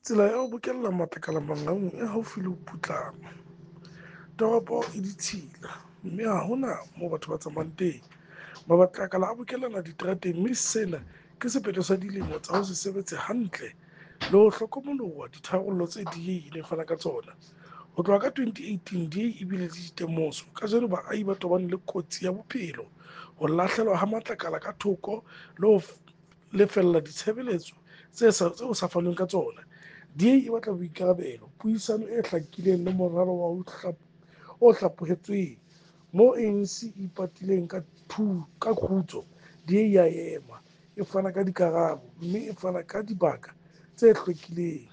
Tsela ya ho bokella matlakala Mangaung e haufi le ho putlama. Toropo e ditshila mme ha hona moo batho ba tsamayang teng. Matlakala a bokellana diterateng mme sena ke sephetho sa dilemo tsa ho se sebetse hantle le ho hlokomoloha ditharollo tse DA e neng e fana ka tsona. Ho tloha ka 2018, DA e bile le ditemoso. Kajeno baahi ba tobane le kotsi ya bophelo, ho lahlelwa ha matlakala ka thoko le ho lefella ditshebeletso tse sa fanweng ka tsona. DA e batla boikarabelo, puisano e hlakileng le moralo o hlaphohetsweng. Moo ANC e ipatileng ka kgutso, DA e a ema, e fana ka dikarabo mme e fana ka dibaka tse hlwekileng.